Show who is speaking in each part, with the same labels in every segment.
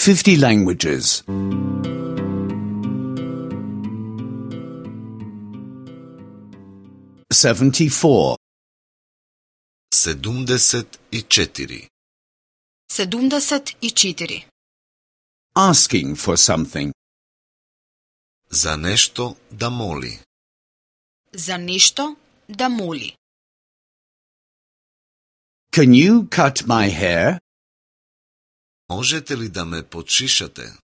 Speaker 1: 50 languages. 74.
Speaker 2: 74.
Speaker 3: 74.
Speaker 1: Asking for something.
Speaker 2: За нешто да моли.
Speaker 3: За нешто да моли.
Speaker 1: Can you cut my hair?
Speaker 2: Можете ли да ме подшишате?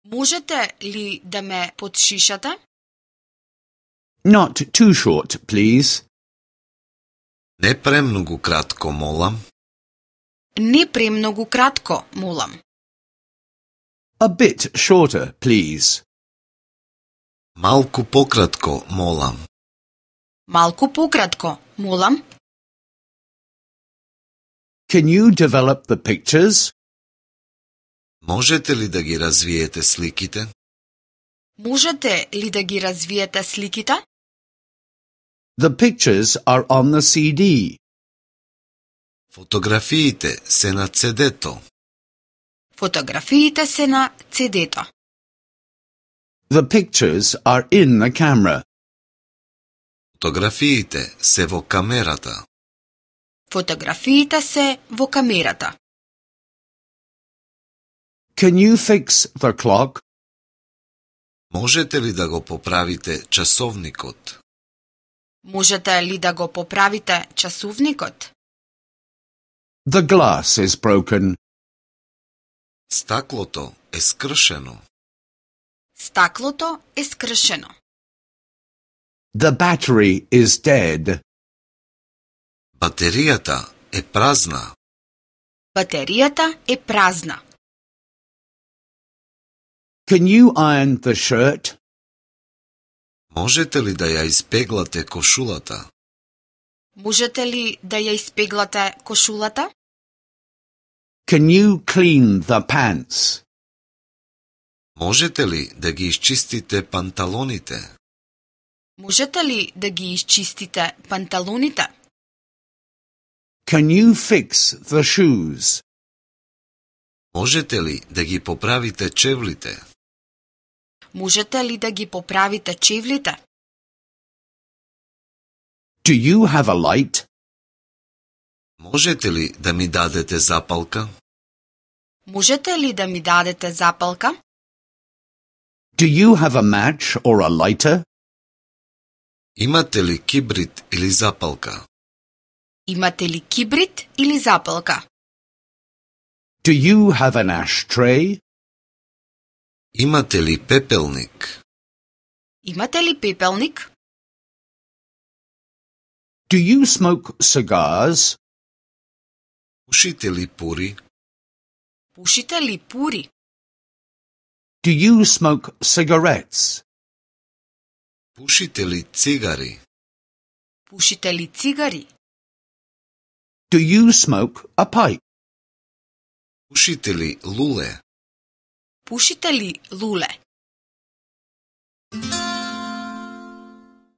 Speaker 3: Можете ли да ме подшишате?
Speaker 1: Not too short, please.
Speaker 2: Не премногу кратко, молам.
Speaker 3: Не премногу кратко, молам.
Speaker 1: A bit shorter, please.
Speaker 2: Малку пократко, молам.
Speaker 3: Малку пократко, молам.
Speaker 1: Can you develop the pictures?
Speaker 2: Можете ли да ги развиете сликите?
Speaker 3: Можете ли да ги развиете сликите?
Speaker 1: The pictures are on the CD.
Speaker 2: Фотографиите се на CD-то.
Speaker 3: Фотографиите се на CD-то.
Speaker 1: The pictures are in the camera.
Speaker 2: Фотографиите се во камерата.
Speaker 3: Фотографиите се во камерата.
Speaker 1: Can you fix the clock?
Speaker 2: Можете ли да го поправите часовникот?
Speaker 3: Можете ли да го поправите часовникот?
Speaker 1: The glass is broken.
Speaker 2: Стаклото е скршено.
Speaker 3: Стаклото е скршено.
Speaker 1: The battery is dead.
Speaker 2: Батеријата е празна.
Speaker 3: Батеријата е празна.
Speaker 1: Can you iron the shirt?
Speaker 2: Можете ли да ја испеглате кошулата?
Speaker 3: Можете ли да ја испеглате кошулата?
Speaker 1: Can you clean the pants?
Speaker 2: Можете ли да ги изчистите панталоните?
Speaker 3: Можете ли да ги изчистите панталоните?
Speaker 1: Can you fix the shoes?
Speaker 2: Можете ли да ги поправите чевлите?
Speaker 3: Можете ли да ги поправите чевлите?
Speaker 1: Do you have a light?
Speaker 2: Можете ли да ми дадете запалка?
Speaker 3: Можете ли да ми дадете запалка?
Speaker 1: Do you have a match or a lighter?
Speaker 2: Имате ли кибрит или запалка?
Speaker 3: Имате ли кибрит или запалка?
Speaker 1: Do you have an ashtray?
Speaker 2: Имате ли пепелник?
Speaker 3: Имате ли пепелник?
Speaker 1: Do you smoke cigars?
Speaker 2: Пушите ли пури?
Speaker 3: Пушите ли пури?
Speaker 1: Do you smoke cigarettes?
Speaker 2: Пушите ли цигари?
Speaker 3: Пушите ли цигари?
Speaker 1: Do you smoke a pipe?
Speaker 2: Пушите ли луле?
Speaker 3: Пушите ли луле?